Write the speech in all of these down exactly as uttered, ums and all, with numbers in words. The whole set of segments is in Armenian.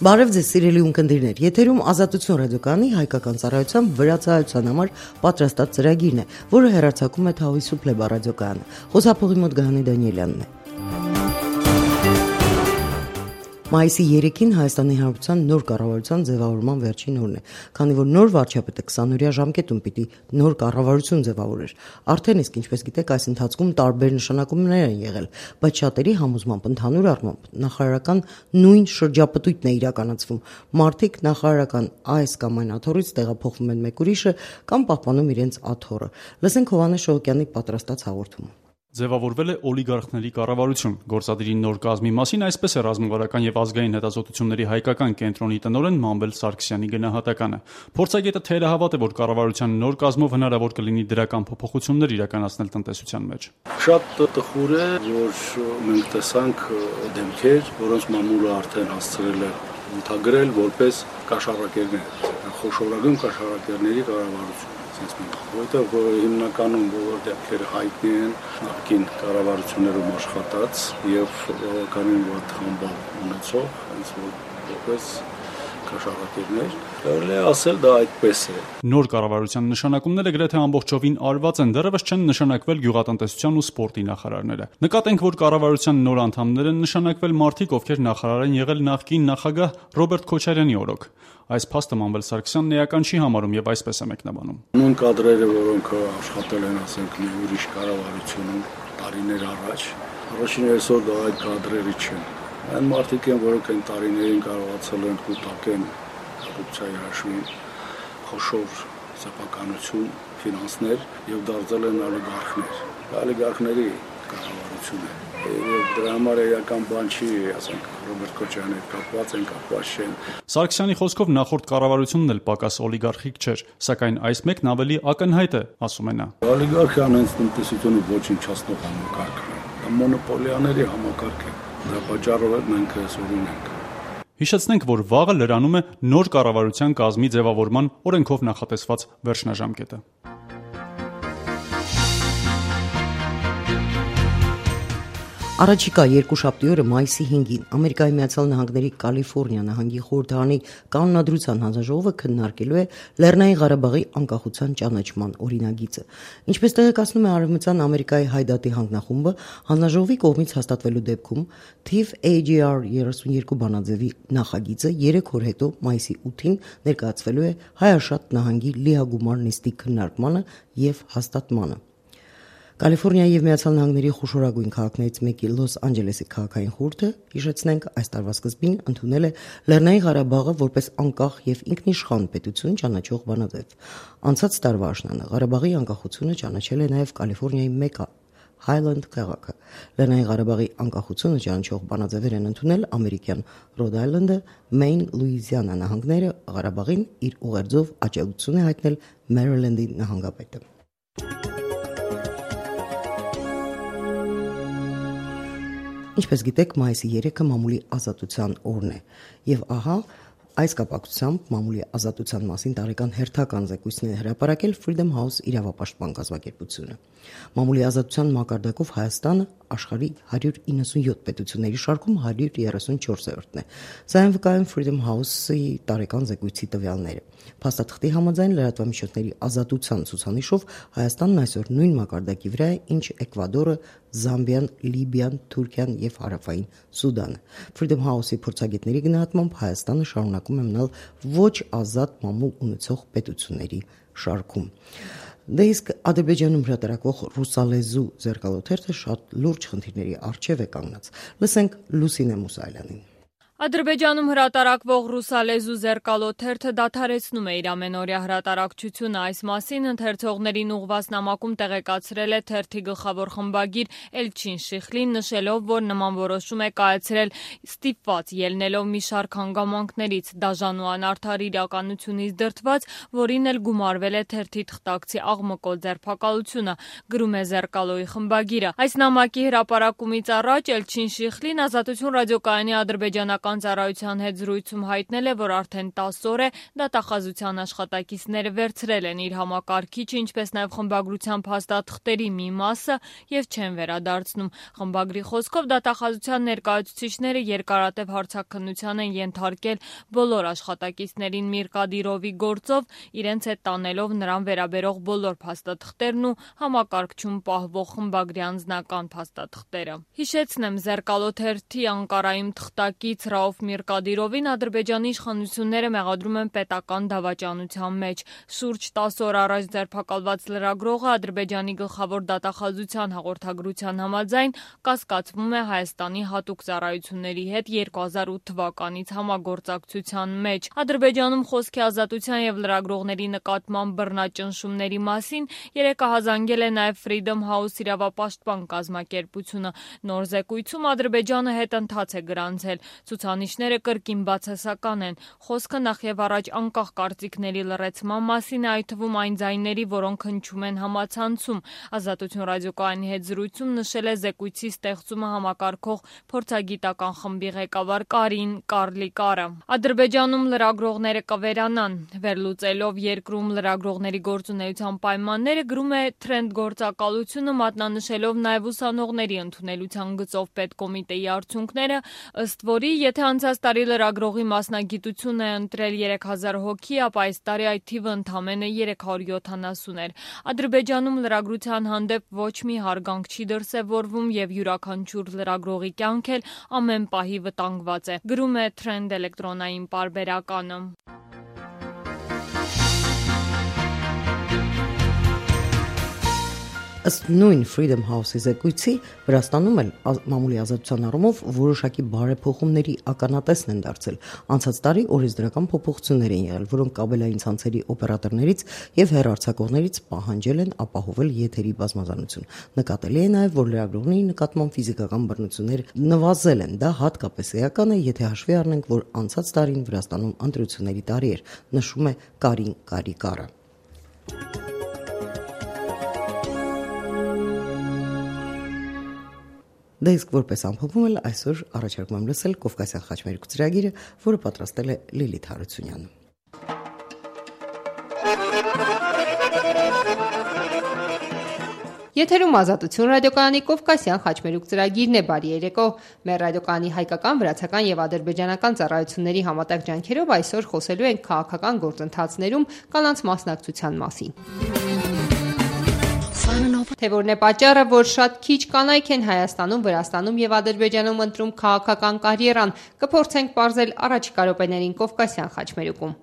Բարև ձեզ սիրելի ունկնդիրներ, եթերում Ազատություն ռադիոկայանի հայկական ծառայության վրացահայության համար պատրաստած ծրագիրն է, որը հեռարձակում է Թավիսու Փլեբա ռադիոկայանը։ Խոսափողի մոտ Գահանի Դանիելյանն է։ Մայիսի երեքին Հայաստանի Հանրապետության նոր կառավարության ձևավորման վերջին օրն է, քանի որ նոր վարչապետը քսաներորյա ժամկետում պիտի նոր կառավարություն ձևավորեր։ Արդեն իսկ ինչպես գիտեք, այս ընթացքում տարբեր նշանակումներ են եղել, բայց շատերի համոզմամբ ընդհանուր առմամբ նախարարական նույն շրջապտույտն է իրականացվում։ Մարդիկ նախարարական այս կամ այն աթոռից տեղափոխվում են մեկ ուրիշը կամ պահպանում իրենց աթոռը։ Լսենք Հովհաննես Շողոկյանի պատրաստած հաղորդումը։ Ձևավորվել է օլիգարխների կառավարություն։ Գործադիրի նոր կազմի մասին այսպես է ռազմավարական եւ ազգային հետազոտությունների հայկական կենտրոնի տնօրեն Մանվել Սարգսյանի գնահատականը։ Փորձագետը թերահավատ է, որ կառավարության նոր կազմով հնարավոր կլինի դրական փոփոխություններ իրականացնել տնտեսության մեջ։ Շատ տխուր է, որ մենք տեսանք դեմքեր, որոնց մամուլը արդեն հասցրել է ընդհանրել որպես կաշառակերներ, խոշորագույն կաշառակերների կառավարություն։ Որտեղ հիմնականում բոլոր դեպքերը հայտնի են նախկին կառավարություններում աշխատած եւ բավականին վատ խմբալ ունեցող, հենց որպես կաշառակերներ, կարելի է ասել դա այդպես է։ Նոր կառավարության նշանակումները գրեթե ամբողջովին արված են, դեռևս չեն նշանակվել գյուղատնտեսության ու սպորտի նախարարները։ Նկատենք, որ կառավարության նոր անդամներ են նշանակվել մարդիկ, ովքեր նախարար են եղել նախկին նախագահ Ռոբերտ Քոչարյանի օրոք։ Այս փաստը Մանվել Սարգսյանն էական չի համարում եւ այսպես է մեկնաբանում։ Նույն կադրերը, որոնք աշխատել են, ասենք, մի ուրիշ կառավարությունում տարիներ առաջ, առաջին այսօր դա այդ կադրերը չեն։ Այն մարդիկ են, որոնք այն տարիներին կարողացել են կուտակեն կոռուպցիայի հաշվին խոշոր սեփականություն, ֆինանսներ եւ դարձել են օլիգարխներ։ Օլիգարխների կառավարություն է։ Եվ դրա համար էական բան չի, ասենք, Ռոբերտ Քոչարյանի հետ կապված են, կապված չեն։ Սարգսյանի խոսքով նախորդ կառավարությունն էլ պակաս օլիգարխիկ չէր, սակայն այս մեկն ավելի ակնհայտ է, ասում է նա։ Օլիգարխիան հենց տնտեսությունը ոչնչացնող համակարգն է, դա մոնոպոլիաների համակարգ է։ Դրա պատճառով մենք այսօր ունենք։ Հիշեցնենք, որ վաղը լրանում է նոր կառավարության կազմի ձևավորման օրենքով նախատեսված վերջնաժամկետը։ Առաջիկա երկուշաբթի օրը մայիսի հինգին Ամերիկայի Միացյալ Նահանգների Կալիֆոռնիա նահանգի խորհրդարանի կանոնադրության հանձնաժողովը քննարկելու է Լեռնային Ղարաբաղի անկախության ճանաչման օրինագիծը։ Ինչպես տեղեկացնում է Արևմտյան Ամերիկայի Հայդատի հանձնախումբը, հանձնաժողովի կողմից հաստատվելու դեպքում թիվ A G R երեսունյոթ բանաձևի նախագիծը երեք օր հետո մայիսի ութին ներկայացվելու է Հայաշատ նահանգի լիագումար նիստի քննարկմանը եւ հաստատմանը։ Կալիֆոռնիայի եւ Միացյալ Նահանգների խոշորագույն քաղաքներից մեկի Լոս Անջելեսի քաղաքային խորհուրդը, հիշեցնենք, այս տարվա սկզբին ընդունել է Լեռնային Ղարաբաղը որպես անկախ եւ ինքնիշխան պետություն ճանաչող բանաձև։ Անցած տարվա աշնանը Ղարաբաղի անկախությունը ճանաչել է նաեւ Կալիֆոռնիայի մեկ Հայլենդ քաղաքը։ Լեռնային Ղարաբաղի անկախությունը ճանաչող բանաձևեր են ընդունել ամերիկյան Ռոդ Այլենդը, Մեյն, Լուիզիանա նահանգները, Ղարաբաղին իր ուղերձով աջակցություն է հայտնել Մերիլենդի նահանգապետը։ Ինչպես գիտեք, մայիսի երեքը մամուլի ազատության օրն է, եւ ահա այս կապակցությամբ մամուլի ազատության մասին տարեկան հերթական զեկույցն է հրապարակել Freedom House իրավապաշտպան կազմակերպությունը։ Մամուլի ազատության մակարդակով Հայաստանը աշխարհի հարյուր իննսունյոթ պետությունների շարքում հարյուր երեսունչորսերորդն է։ Սա են վկայում Freedom House-ի տարեկան զեկույցի տվյալները։ Փաստաթղթի համաձայն լրատվամիջոցների ազատության ցուցանիշով Հայաստանն այսօր նույն մակարդակի վրա է, ինչ Էկվադորը, Զամբիան, Լիբիան, Թուրքիան եւ Հարավային Սուդանը։ Freedom House-ի փորձագետների գնահատմամբ Հայաստանը շարունակում է մնալ ոչ ազատ մամուլ ունեցող պետությունների շարքում։ Դե իսկ Ադրբեջանում հրատարակվող ռուսալեզու ձեռքալոթերթը շատ լուրջ խնդիրների առջև է կանգնած։ Լսենք Լուսինե Մուսայելյանին։ Ադրբեջանում հրատարակվող ռուսալեզու ձեռքալոթերթը դադարեցնում է իր ամենօրյա հրատարակչությունը։ Այս մասին ընթերցողներին ուղղված նամակում տեղեկացրել է թերթի գլխավոր խմբագիր Էլչին Շիխլին, նշելով, որ նման որոշում է կայացրել ստիպված ելնելով մի շարք հանգամանքներից, դաժան ու անարդար իրականությունից դրդված, որին էլ գումարվել է թերթի թղթակցի աղմկոտ ձերբակալությունը, գրում է Զերկալոյի խմբագիրը։ Այս նամակի հրապարակումից առաջ Էլչին Շիխլին Ազատություն ռադիոկայանի ադրբեջանական պետական ծառայության հետ զրույցում հայտնել է, որ արդեն տասը օր է դատախազության աշխատակիցները վերցրել են իր համակարգիչը, ինչպես նաև խմբագրության փաստաթղթերի մի մասը եւ չեն վերադարձնում։ Խմբագրի խոսքով դատախազության ներկայացուցիչները երկարատև հարցաքննության են ենթարկել բոլոր աշխատակիցներին Միրկադիրովի գործով, իրենց հետ տանելով նրան վերաբերող բոլոր փաստաթղթերն ու համակարգչում պահվող խմբագրի անձնական փաստաթղթերը։ Հիշեցնեմ, Զերկալո թերթի Անկարայում թղթակից Ռաուֆ Միրկադիրովին Ադրբեջանի իշխանությունները մեղադրում են պետական դավաճանության մեջ։ Շուրջ տասը օր առաջ ձերբակալված լրագրողը Ադրբեջանի գլխավոր դատախազության հաղորդագրության համաձայն կասկածվում է Հայաստանի հատուկ ծառայությունների հետ երկու հազար ութ թվականից համագործակցության մեջ։ Ադրբեջանում խոսքի ազատության եւ լրագրողների նկատմամբ բռնաճնշումների մասին երեկահազանգել է նաև Freedom House իրավապաշտպան կազմակերպությունը։ Նոր զեկույցում Ադրբեջանը հետընթաց է գրանցել։ Ցուցանիշները կրկին բացասական են։ Խոսքը նախ եւ առաջ անկախ կարծիքների լռեցման մասին է, այդ թվում այն ձայների, որոնք հնչում են համացանցում։ Ազատություն ռադիոկայանի հետ զրույցում նշել է զեկույցի ստեղծումը համակարգող փորձագիտական խմբի ղեկավար Կարին Կարլիկարը։ Ադրբեջանում լրագրողները կվերանան։ Վերլուծելով երկրում լրագրողների գործունեության պայմանները, գրում է Trend գործակալությունը, մատնանշելով նաև ուսանողների ընդունելության գծով պետկոմիտեի արդյունքները, ըստ որի, եթե անցած տարի լրագրողի մասնագիտությունը է ընտրել երեք հազար հոգի, ապա այս տարի այդ թիվը ընդամենը երեք հարյուր յոթանասուն էր։ Ադրբեջանում լրագրության հանդեպ ոչ մի հարգանք չի դրսևորվում եւ յուրաքանչյուր լրագրողի կյանք էլ ամեն պահի վտանգված է, գրում է Trend էլեկտրոնային պարբերականը։ Ըստ նույն Freedom House-ի զեկույցի, Վրաստանում էլ մամուլի ազատության առումով որոշակի բարեփոխումների ականատեսն են դարձել։ Անցած տարի օրենսդրական փոփոխություններ են եղել, որոնք կաբելային ցանցերի օպերատորներից եւ հեռարձակողներից պահանջել են ապահովել եթերի բազմազանություն։ Նկատելի է նաեւ, որ լրագրողների նկատմամբ ֆիզիկական բռնություններ նվազել են։ Դա հատկապես էական է, եթե հաշվի առնենք, որ անցած տարին Վրաստանում ընտրությունների տարի էր, նշում է Կարին Կարիկարը։ Դա իսկ որպես ամփոփում էլ այսօր առաջարկում եմ լսել Կովկասյան խաչմերուկ ծրագիրը, որը պատրաստել է Լիլիթ Հարությունյանը։ Եթերում Ազատություն ռադիոկայանի Կովկասյան խաչմերուկ ծրագիրն է, բարի երեկո։ Մեր ռադիոկայանի հայկական, վրացական եւ ադրբեջանական ծառայությունների համատեղ ջանքերով այսօր խոսելու ենք քաղաքական գործընթացներում կանանց մասնակցության մասին։ Թե որն է պատճառը, որ շատ քիչ կանայք են Հայաստանում, Վրաստանում եւ Ադրբեջանում ընտրում քաղաքական կարիերան, կփորձենք պարզել առաջիկա րոպեներին Կովկասյան խաչմերուկում։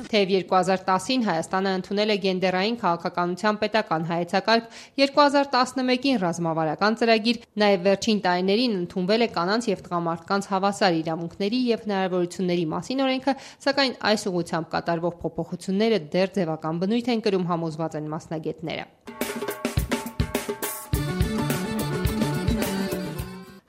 Թեև երկու հազար տասին Հայաստանը ընդունել է գենդերային քաղաքականության պետական հայեցակարգ, երկու հազար տասնմեկին ռազմավարական ծրագիր, նաև վերջին տարիներին ընդունվել է կանանց եւ տղամարդկանց հավասար իրավունքների եւ հնարավորությունների մասին օրենքը, սակայն այս ուղղությամբ կատարվող փոփոխությունները դեռ ձևական բնույթ են կրում, համոզված են մասնագետները։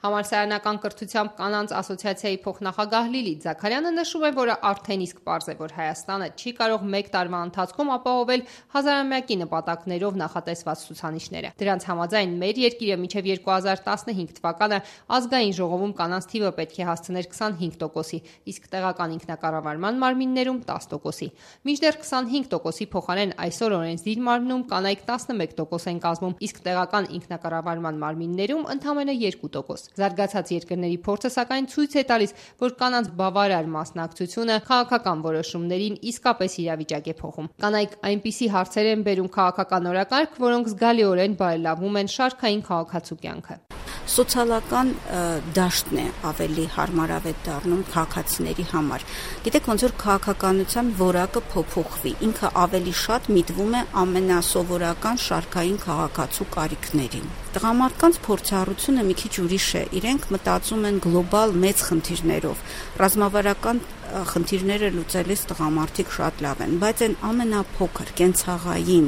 Համալսարանական կրթությամբ կանանց ասոցիացիայի փոխնախագահ Լիլիթ Զաքարյանը նշում է, որ արդեն իսկ պարզ է, որ Հայաստանը չի կարող մեկ տարվա ընթացքում ապահովել հազարամյակի նպատակներով նախատեսված ցուցանիշները։ Դրանց համաձայն մեր երկիրը մինչև երկու հազար տասնհինգ թվականը ազգային ժողովում կանանց թիվը պետք է հասցներ քսանհինգ տոկոսի, իսկ տեղական ինքնակառավարման մարմիններում տասը տոկոսի։ Մինչդեռ քսանհինգ տոկոսի փոխարեն այսօր օրենսդիր մարմնում կանայք տասնմեկ տոկոս են կազմում, իսկ տեղական ինքնակառավարման մարմիններում ընդամենը երկու տոկոս։ Զարգացած երկրների փորձը սակայն ցույց է տալիս, որ կանանց բավարար մասնակցությունը քաղաքական որոշումներին իսկապես իրավիճակ է փոխում։ Կանայք այնպիսի հարցեր են բերում քաղաքական օրակարգ, որոնք զգալիորեն բարելավում են շարքային քաղաքացու կյանքը։ Սոցիալական դաշտն է ավելի հարմարավետ դառնում քաղաքացիների համար։ Գիտեք, ոնց որ քաղաքականության որակը փոփոխվի, ինքը ավելի շատ միտվում է ամենասովորական շարքային քաղաքացու կարիքներին։ Տղամարդկանց փորձառությունը մի քիչ ուրիշ է, իրենք մտածում են գլոբալ մեծ խնդիրներով, ռազմավարական խնդիրները լուծելիս տղամարդիկ շատ լավ են, բայց այն ամենափոքր, կենցաղային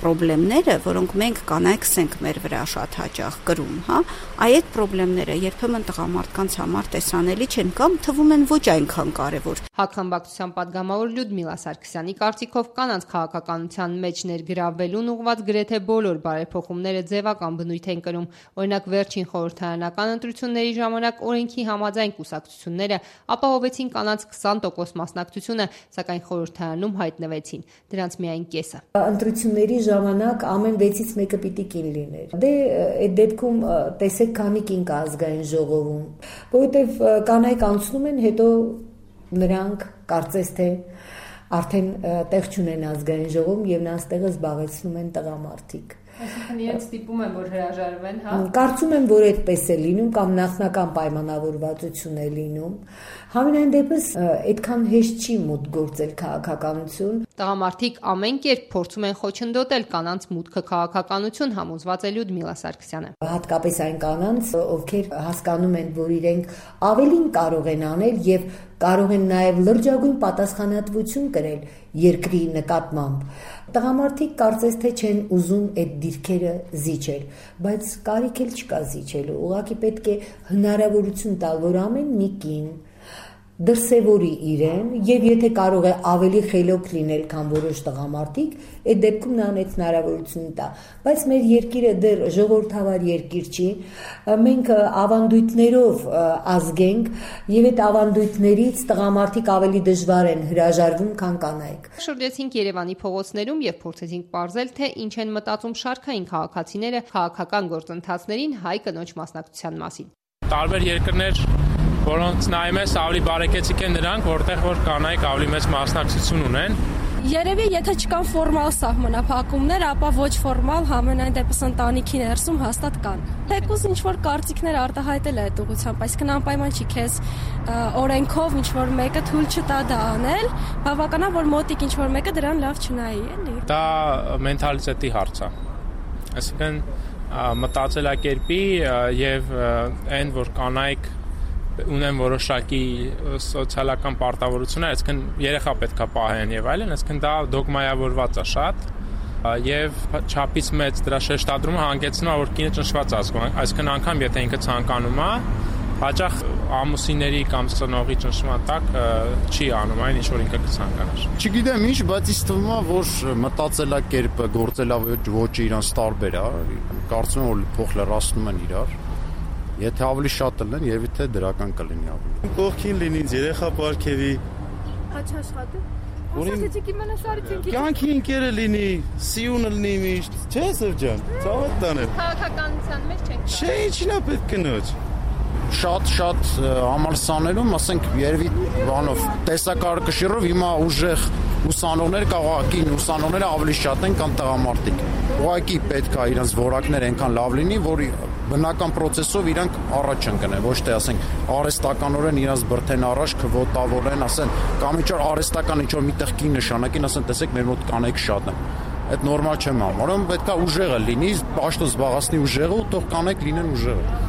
խնդիրները, որոնք մենք կանայքս ենք մեր վրա շատ հաճախ կրում, հա, այդ խնդիրները երբեմն տղամարդկանց համար տեսանելի չեն կամ թվում են ոչ այնքան կարևոր։ Հակխմբակցության պատգամավոր Լյուդմիլա Սարգսյանի կարծիքով կանանց քաղաքականության մեջ ներգրավվելուն ուղղված գրեթե բոլոր բարեփոխումները ձևական բնույթ են կրում։ Օրինակ, վերջին խորհրդարանական ընտրությունների ժամանակ օրենքի համաձայն կուսակցությունները ապահովեցին կանանց քսան տոկոս մասնակցությունը, սակայն խորհրդարանում հայտնվեցին դրանց միայն կեսը։ Ընտրությունների ժամանակ ամեն վեցից մեկը պիտի կին լիներ։ Դե այդ դեպքում տեսեք քանի կին կա ազգային ժողովում, որովհետև կանայք անցնում են, հետո նրանք կարծես թե արդեն տեղ չունեն ազգային ժողովում եւ նրանց տեղը զբաղեցնում են տղամարդիկ։ Այսինքն իրենց ստիպում են, որ հրաժարվեն, հա։ Կարծում եմ, որ այդպես է լինում կամ նախնական պայմանավորվածություն է լինում։ Համենայն դեպս այդքան հեշտ չի մուտք գործել քաղաքականություն։ Տղամարդիկ ամեն կերպ փորձում են խոչընդոտել կանանց մուտքը քաղաքականություն, համոզված է Լյուդմիլա Սարգսյանը։ Հատկապես այն կանանց, ովքեր հասկանում են, որ իրենք ավելին կարող են անել եւ կարող են նաեւ լրջագույն պատասխանատվություն կրել երկրի նկատմամբ։ Տղամարդիկ կարծես թե չեն ուզում այդ դիրքերը զիջել, բայց կարիք էլ չկա զիջելու։ Ուղղակի պետք է հնարավորություն տալ, որ ամեն մի կին դրսևորի իրեն եւ եթե կարող է ավելի խելոք լինել, քան որոշ տղամարդիկ, այդ դեպքում նրան այդ հնարավորությունը տա։ Բայց մեր երկիրը դեռ ժողովրդավար երկիր չի։ Մենք ավանդույթներով ազգենք եւ այդ ավանդույթներից տղամարդիկ ավելի դժվար են հրաժարվում, քան կանայք։ Շրջեցինք Երևանի փողոցներում եւ փորձեցինք ողջել, թե ինչ են մտածում շարքային քաղաքացիները քաղաքական գործընթացներին հայ կնոջ մասնակցության մասին։ Տարբեր երկրներ, որոնց նայում ես, ավելի բարեկեցիկ են նրանք, որտեղ որ կանայք ավելի մեծ մասնակցություն ունեն։ Երևի եթե չկան ֆորմալ սահմանափակումներ, ապա ոչ ֆորմալ համենայն դեպս ընտանիքի ներսում հաստատ կան։ Թեկուզ ինչ որ կարծիքներ արտահայտել է այդ ուղղությամբ, այսինքն անպայման չի քեզ օրենքով ինչ որ մեկը թույլ չտա դա անել, բավականա որ մոտիկ ինչ որ մեկը դրան լավ չնայի, էլի։ Դա մենթալիտետի հարց է։ Այսինքն մտածելակերպի եւ այն որ կանայք ունեն որոշակի սոցիալական պարտավորություններ, այսինքն երեխա պետքա պահեն եւ այլն, այսինքն դա դոգմայավորված է շատ եւ չափից մեծ դրա շեշտադրումը հանգեցնում է որ կինը ճնշված ազգում, այսինքն անգամ եթե ինքը ցանկանում է, հաճախ ամուսինների կամ ծնողի ճնշման տակ չի անում այն ինչ որ ինքը կցանկանար։ Չգիտեմ ինչ, բայց ինձ թվում է որ մտածելակերպը, գործելաոճը իրանց տարբեր է, կարծում եմ որ փոխ լրացնում են իրար։ Եթե ավելի շատ լինեն, երևի թե դրական կլինի ավելի։ Կողքին լինի, երեխա պարգևի։ Հաճ աշխատի։ Ասացիք իմանաս արիցինքի։ Կյանքի ինքերը լինի, սիունը լինի միշտ, չէ՞ Սևջան։ Ցավոտ տանել։ Քաղաքականության մեջ չենք։ Չէ, ինչին է պետք կնոջ։ Շատ-շատ համալսաներում, ասենք, երևի բանով տեսակարգաշիռով հիմա ուժեղ ուսանողներ կաղակին, ուսանողները ավելի շատ են, քան տղամարդիկ։ Ուղղակի պետք է իրենց որակներ այնքան լավ լինի, որ բնական process-ով իրանք առաջ ընկնեն, ոչ թե ասենք արհեստականորեն իրենց բրթեն առաջ, քվոտավորեն, ասեն, կամ ինչ որ արհեստական ինչ որ միտեղ կին նշանակին, ասեն, տեսեք, մեր մոտ կանայք շատ են։ Այդ նորմալ չեմ համարում, պետք է ուժեղը լինի, պաշտոն զբաղացնի ուժեղը ու թող կանայք լինեն ուժեղը։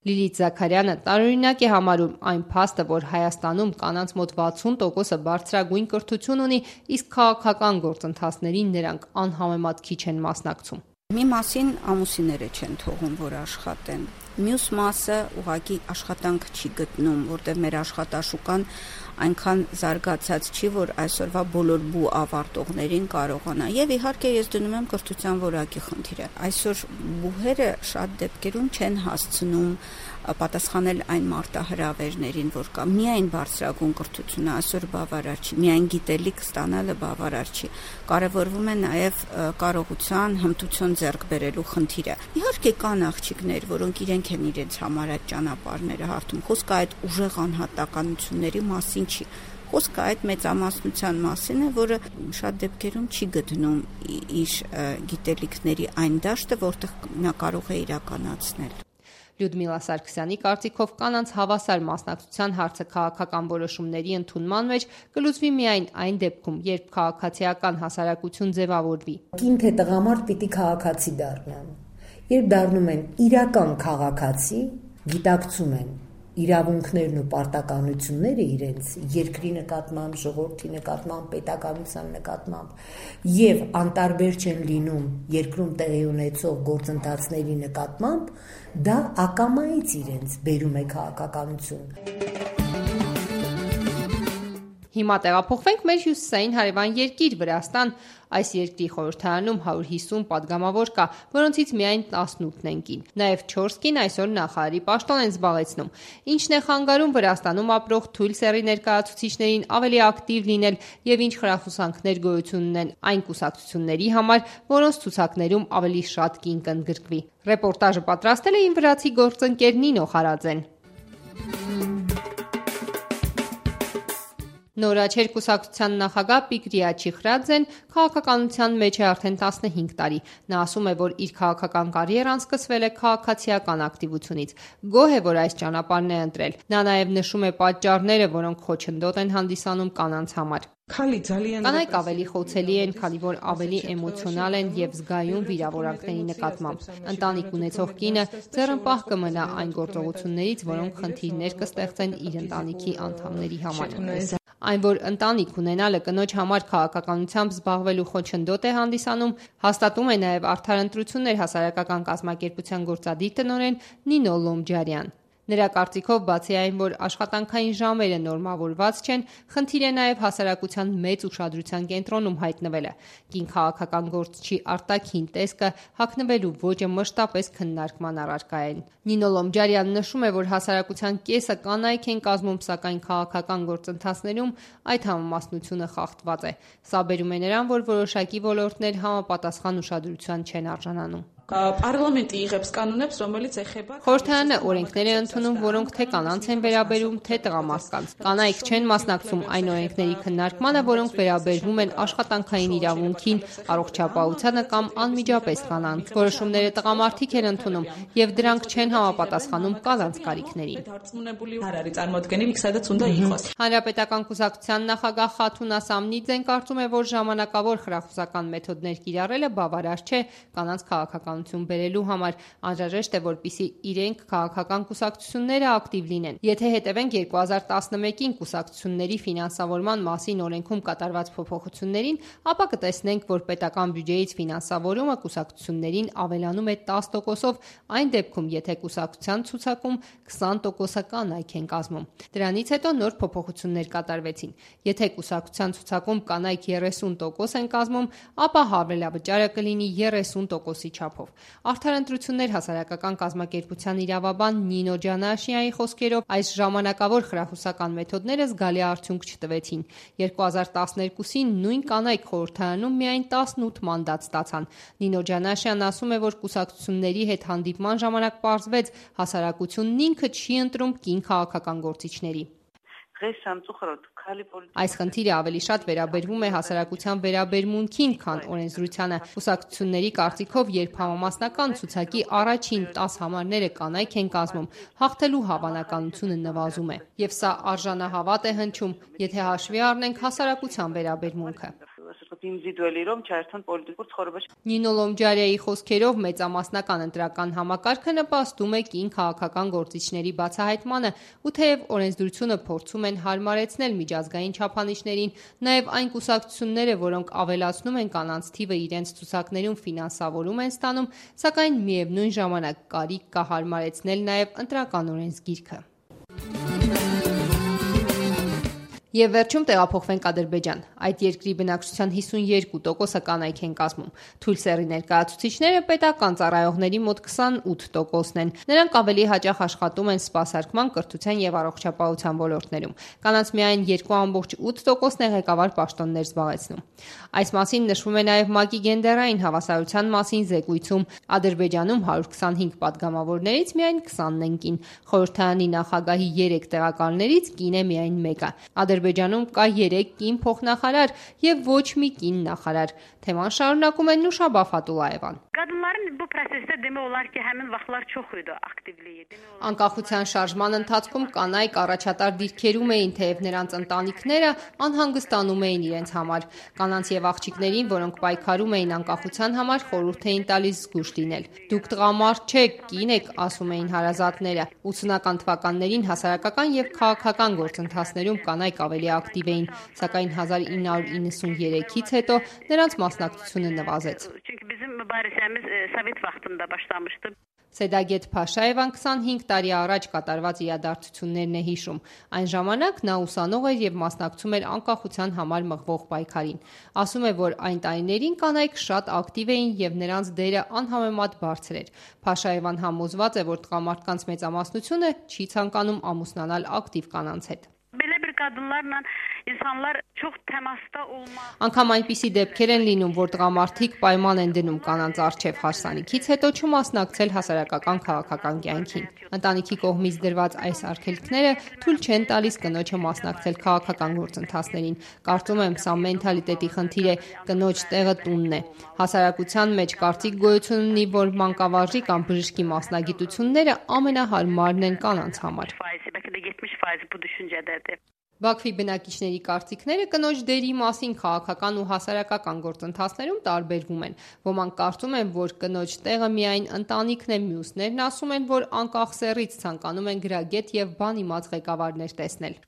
Լիլիթ Զաքարյանը տարօրինակ է համարում այն փաստը, որ Հայաստանում կանանց մոտ վաթսուն տոկոսը բարձրագույն կրթություն ունի, իսկ քաղաքական գործընթացներին նրանք անհամեմատ քիչ են մասնակցում։ Մի մասին ամուսինները չեն թողում, որ աշխատեն։ Մյուս մասը ուղղակի աշխատանք չի գտնում, որտեղ մեր աշխատաշուկան այնքան զարգացած չի, որ այսօրվա բոլոր բու ավարտողներին կարողանա։ Եվ իհարկե ես դնում եմ կրթության որակի խնդիրը։ Այսօր բուհերը շատ դեպքերում չեն հասցնում պատասխանել այն մարտահրավերներին, որ կա։ Միայն բարձրագույն կրթությունը այսօր բավարար չի, միայն գիտելիք ստանալը բավարար չի։ Կարևորվում է նաև կարողության, հմտություն ձեռք բերելու խնդիրը։ Իհարկե կան աղջիկներ, որոնք իրենք են իրենց համար այդ ճանապարհները հարթում։ Խոսքը այդ ուժեղ անհատականությունների մասին չի։ Խոսքը այդ մեծամասնության մասին է, որը շատ դեպքերում չի գտնում իր գիտելիքների այն դաշտը, որտեղ նա կարող է իրականացնել։ Լյուդմիլա Սարգսյանի կարծիքով կանանց հավասար մասնակցության հարցը քաղաքական որոշումների ընդունման մեջ կլուծվի միայն այն դեպքում, երբ քաղաքացիական հասարակություն ձևավորվի։ Կին թե տղամարդ պիտի քաղաքացի դառնան։ Երբ դառնում են իրական քաղաքացի, գիտակցում են իրավունքներն ու պարտականությունները իրենց երկրի նկատմամբ, ժողովրդի նկատմամբ, պետականության նկատմամբ եւ անտարբեր չեն լինում երկրում տեղի ունեցող գործընթացների նկատմամբ, դա ակամայից իրենց բերում է քաղաքականություն։ Հիմա տեղափոխվենք մեր հյուսիսային հարևան երկիր Վրաստան։ Այս երկրի խորհրդարանում հարյուր հիսուն падգամավոր կա, որոնցից միայն տասնութն են կին։ Նաև չորս կին այսօր նախարարի պաշտոն են զբաղեցնում։ Ինչն է խանգարում Վրաստանում ապրող թույլ սեռի ներկայացուցիչներին ավելի ակտիվ լինել եւ ինչ խրախուսանքներ գոյություն ունեն այն կուսակցությունների համար, որոնց ցուցակներում ավելի շատ կին կընդգրկվի։ Ռեպորտաժը պատրաստել է իմ վրացի գործընկեր Նինո Խարաձեն։ Նորաչեր կուսակցության նախագահ Պիկրիա Չիխրաձեն քաղաքականության մեջ է արդեն տասնհինգ տարի։ Նա ասում է, որ իր քաղաքական կարիերան սկսվել է քաղաքացիական ակտիվությունից։ Գոհ է, որ այս ճանապարհն է ընտրել։ Նա նաև նշում է պատճառները, որոնք խոչընդոտ են հանդիսանում կանանց համար։ Կանայք ավելի խոցելի են, քանի որ ավելի էմոցիոնալ են եւ զգայուն վիրավորանքների նկատմամբ։ Ընտանիք ունեցող կինը ձեռնպահ կմնա այն գործողություններից, որոնք խնդիրներ կստեղծեն իր ընտանիքի անդամների համար։ Այն, որ ընտանիք ունենալը կնոջ համար քաղաքականությամբ զբաղվելու խոչընդոտ է հանդիսանում, հաստատում է նաև Արդար ընտրություններ հասարակական կազմակերպության գործադիր տնօրեն Նինո Լոմջարյան։ Նրա կարծիքով, բացի այն, որ աշխատանքային ժամերը նորմավորված չեն, խնդիր է նաև հասարակության մեծ ուշադրության կենտրոնում հայտնվելը։ Կին քաղաքական գործչի արտաքին տեսքը հագնվելու ոճը մշտապես քննարկման առարկա են։ Նինո Լոմջարյանն նշում է, որ հասարակության կեսը կանայք են կազմում, սակայն քաղաքական գործընթացներում այդ համամասնությունը խախտված է։ Սա բերում է նրան, որ որոշակի ոլորտներ համապատասխան ուշադրության չեն արժանանում։ Պարլամենտի იღებს կանոնებს, რომელიც ეხება Խորհրդարանը օրենքներ է ընդունում, որոնք թե կանանց են վերաբերում, թե տղամարդկանց։ Կանայք չեն մասնակցում այն օրենքների քննարկմանը, որոնք վերաբերվում են աշխատանքային իրավունքին, առողջապահությանը կամ անմիջապես կանանց։ Որոշումները տղամարդիկ են ընդունում, եւ դրանք չեն համապատասխանում կանանց կարիքներին։ Հանրապետական կուսակցության նախագահ Խաթուն Ասամնիձեն կարծում է, որ ժամանակավոր խրախուսական մեթոդներ կիրառելը բավարար չէ կանանց քաղաքական բերելու համար, անհրաժեշտ է, որպեսզի իրենք քաղաքական կուսակցությունները ակտիվ լինեն։ Եթե հետևենք երկու հազար տասնմեկին կուսակցությունների ֆինանսավորման մասին օրենքում կատարված փոփոխություններին, ապա կտեսնենք, որ պետական բյուջեից ֆինանսավորումը կուսակցություններին ավելանում է տասը տոկոսով, այն դեպքում, եթե կուսակցության ցուցակում քսան տոկոսը կանայք են կազմում։ Դրանից հետո նոր փոփոխություններ կատարվեցին։ Եթե կուսակցության ցուցակում կանայք երեսուն տոկոս են կազմում, ապա հավելավճարը կլինի երեսուն տոկոսի չափով։ Արդար ընտրություններ հասարակական կազմակերպության իրավաբան Նինո Ջանաշյանի խոսքերով, այս ժամանակավոր խրախուսական մեթոդները զգալի արդյունք չտվեցին։ երկու հազար տասներկուսին նույն կանայք խորհրդարանում միայն տասնութ մանդատ ստացան։ Նինո Ջանաշյանն ասում է, որ կուսակցությունների հետ հանդիպման ժամանակ պարզվեց, հասարակությունն ինքը չի ընտրում կին քաղաքական գործիչների։ Այս խնդիրը ավելի շատ վերաբերվում է հասարակության վերաբերմունքին, քան օրենսդրությանը։ Կուսակցությունների կարծիքով, երբ համամասնական ցուցակի առաջին տասը համարները կանայք են կազմում, հաղթելու հավանականությունը նվազում է։ Եվ սա արժանահավատ է հնչում, եթե հաշվի առնենք հասարակության վերաբերմունքը։ Նինո Լոմջարյայի խոսքերով մեծամասնական ընտրական համակարգը նպաստում է կին քաղաքական գործիչների բացահայտմանը, ու թեև օրենսդրությունը փորձում են հարմարեցնել միջազգային չափանիշներին, նաև այն կուսակցությունները, որոնք ավելացնում են կանանց թիվը իրենց ցուցակներում ֆինանսավորում են ստանում, սակայն միևնույն ժամանակ կարիք կա հարմարեցնել նաև ընտրական օրենսգիրքը։ Եվ վերջում տեղափոխվենք Ադրբեջան։ Այդ երկրի բնակչության հիսունյոթ տոկոսը կանայք են կազմում։ Թույլ սեռի ներկայացուցիչները պետական ծառայողների մոտ քսանութ տոկոսն են։ Նրանք ավելի հաճախ աշխատում են սպասարկման, կրթության եւ առողջապահության ոլորտներում։ Կանանց միայն երկու կόμμα ութ տոկոսն է ղեկավար պաշտոններ զբաղեցնում։ Այս մասին նշվում է նաև ՄԱԿ-ի գենդերային հավասարության մասին զեկույցում։ Ադրբեջանում հարյուր քսանհինգ падգամավորներից միայն քսանն են կին։ Խորհրդարանի նախագահի երեք տեղակալներից կին է միայն մեկը։ Ադրբեջանում կա երեք կին փոխնախարար եւ ոչ մի կին նախարար։ Թեման շարունակում է Նուշաբա Ֆատուլաևան։ Անկախության շարժման ընթացքում կանայք առաջատար դիրքերում էին, թեև նրանց ընտանիքները անհանգստանում էին իրենց համար։ Կանանց եւ աղջիկներին, որոնք պայքարում էին անկախության համար, խորհուրդ էին տալիս զգուշ լինել։ Դուք տղամարդ չեք, կին եք, ասում էին հարազատները։ ութսունական թվականներին հասարակական եւ քաղաքական գործընթացներում կանայք ավելի ակտիվ էին, սակայն հազար ինը հարյուր իննսուններեքից հետո նրանց մասնակցությունը նվազեց։ Սեդագետ Փաշաևան քսանհինգ տարի առաջ կատարված իրադարձություններն է հիշում։ Այն ժամանակ նա ուսանող էր եւ մասնակցում էր անկախության համար մղվող պայքարին։ Ասում է, որ այն տարիներին կանայք շատ ակտիվ էին եւ նրանց դերը անհամեմատ բարձր էր։ Փաշաևան համոզված է, որ տղամարդկանց մեծամասնությունը չի ցանկանում ամուսնանալ ակտիվ կանանց հետ։ Անգամ այնպիսի դեպքեր են լինում, որ տղամարդիկ պայման են դնում կանանց առջև հարսանիքից հետո չմասնակցել հասարակական քաղաքական կյանքին։ Ընտանիքի կողմից դրված այս արգելքները թույլ չեն տալիս կնոջը մասնակցել քաղաքական գործընթացներին։ Կարծում եմ, սա մենթալիտետի խնդիր է, կնոջ տեղը տունն է։ Հասարակության մեջ կարծիք գոյություն ունի, որ մանկավարժի կամ բժշկի մասնագիտությունները ամենահարմարն են կանանց համար։ Բաքվի բնակիչների կարծիքները կնոջ դերի մասին քաղաքական ու հասարակական գործընթացներում տարբերվում են։ Ոմանք կարծում են, որ կնոջ տեղը միայն ընտանիքն է, մյուսներն ասում են, որ անկախ սեռից ցանկանում են գրագետ եւ բան իմաց ղեկավարներ տեսնել։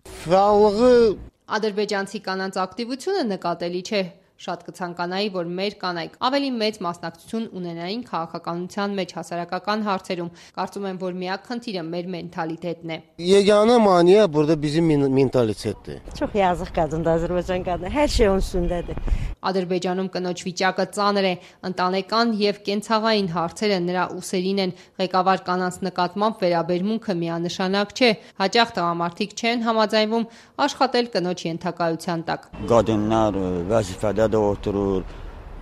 Ադրբեջանցի կանանց ակտիվությունը նկատելի չէ։ Շատ կցանկանայի, որ մեր կանայք ավելի մեծ մասնակցություն ունենային քաղաքականության մեջ հասարակական հարցերում։ Կարծում եմ, որ միակ խնդիրը մեր մենթալիտետն է։ Yeganə maneə burada bizim mentalitetdir. Çox yazıq qadındır Azərbaycan qadını. Hər şey onun üstündədir. Ադրբեջանում կնոջ վիճակը ծանր է, ընտանեկան եւ կենցաղային հարցերը նրա ուսերին են, ղեկավար կանանց նկատմամբ վերաբերմունքը միանշանակ չէ, հաճախ տղամարդիկ չեն համաձայնվում աշխատել կնոջ ենթակայության տակ։ Qadınlar vəzifədə oturur,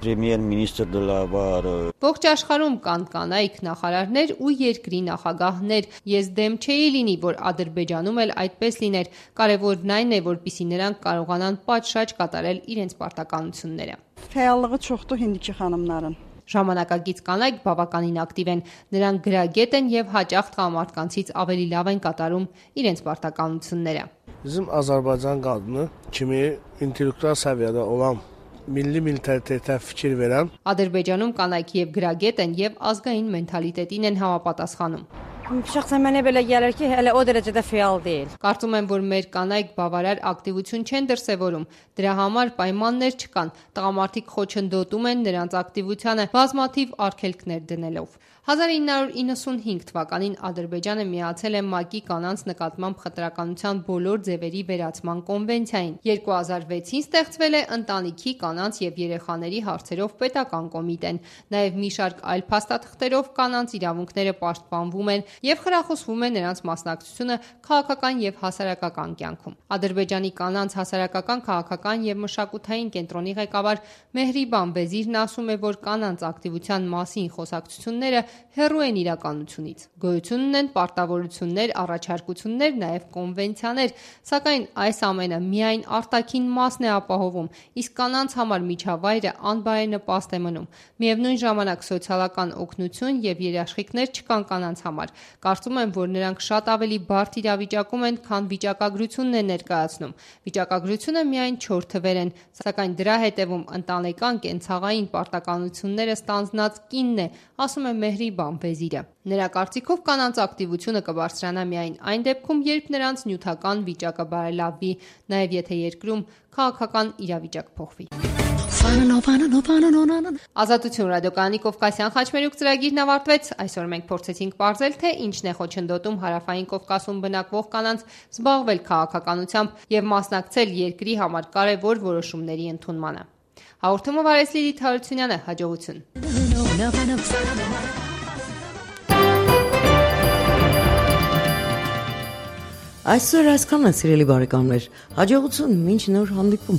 Պրեմիեր-մինիստրը var։ Ողջ աշխարհում կան կանայք նախարարներ ու երկրի նախագահներ։ Ես դեմ չէի լինի, որ Ադրբեջանում էլ այդպես լիներ։ Կարևորն այն է, որպեսզի նրանք կարողանան պատշաճ կատարել իրենց պարտականությունները։ Fəallığı çoxdur hindiki xanımların։ Ժամանակակից կանայք բավականին ակտիվ են։ Նրանք գրագետ են եւ հաճախ տղամարդկանցից ավելի լավ են կատարում իրենց պարտականությունները։ Bizim Azərbaycan qadını kimi intellektual səviyyədə olan milli mentalitetə fikir verən Ադրբեջանում կանայք եւ գրագետ են եւ ազգային մենթալիտետին են համապատասխանում։ Şəxsən mənə belə gəlir ki, hələ o dərəcədə fəal deyil։ Կարծում եմ, որ մեր կանայք բավարար ակտիվություն չեն դրսևորում։ Դրա համար պայմաններ չկան։ Տղամարդիկ խոչընդոտում են նրանց ակտիվությանը բազմաթիվ արգելքներ դնելով։ հազար ինը հարյուր իննսունհինգ թվականին Ադրբեջանը միացել է ՄԱԿ-ի կանանց նկատմամբ խտրականության բոլոր ձևերի վերացման կոնվենցիային։ երկու հազար վեցին ստեղծվել է ընտանիքի, կանանց եւ երեխաների հարցերով պետական կոմիտեն։ Նաեւ մի շարք այլ փաստաթղթերով կանանց իրավունքները պաշտպանվում են եւ խրախուսվում է նրանց մասնակցությունը քաղաքական եւ հասարակական կյանքում։ Ադրբեջանի կանանց հասարակական, քաղաքական եւ մշակութային կենտրոնի ղեկավար Մեհրիբան Վեզիրն ասում է, որ կանանց ակտիվության մասին խոսակցությունները հեռու են իրականությունից։ Գոյություն ունեն պարտավորություններ, առաջարկություններ, նաև կոնվենցիաներ, սակայն այս ամենը միայն արտաքին մասն է ապահովում, իսկ կանանց համար միջավայրը անբարենպաստ է մնում։ Միևնույն ժամանակ սոցիալական օգնություն եւ երաշխիքներ չկան կանանց համար։ Կարծում եմ, որ նրանք շատ ավելի բարդ իրավիճակում են, քան վիճակագրությունն է ներկայացնում։ Վիճակագրությունը միայն չորս թվեր են, սակայն դրա հետևում ընտանեկան կենցաղային պարտականությունները ստանձնած կինն է, ասում է Մեհրիբան Վեզիրը։ Նրա կարծիքով կանանց ակտիվությունը կբարձրանա միայն այն դեպքում, երբ նրանց նյութական վիճակը բարելավվի, նաև եթե երկրում քաղաքական իրավիճակ փոխվի։ Ազատություն ռադիոկայանի Կովկասյան խաչմերուկ ծրագիրն ավարտվեց։ Այսօր մենք փորձեցինք պարզել, թե ինչն է խոչընդոտում հարավային Կովկասում բնակվող կանանց զբաղվել քաղաքականությամբ եւ մասնակցել երկրի համար կարևոր որոշումների ընդունմանը։ Հաղորդումը վարեց Լիլիթ Հարությունյանը, հաջողություն։ Այսօր այսքան է, սիրելի բարեկամներ, հաջողություն, մինչ նոր հանդիպում։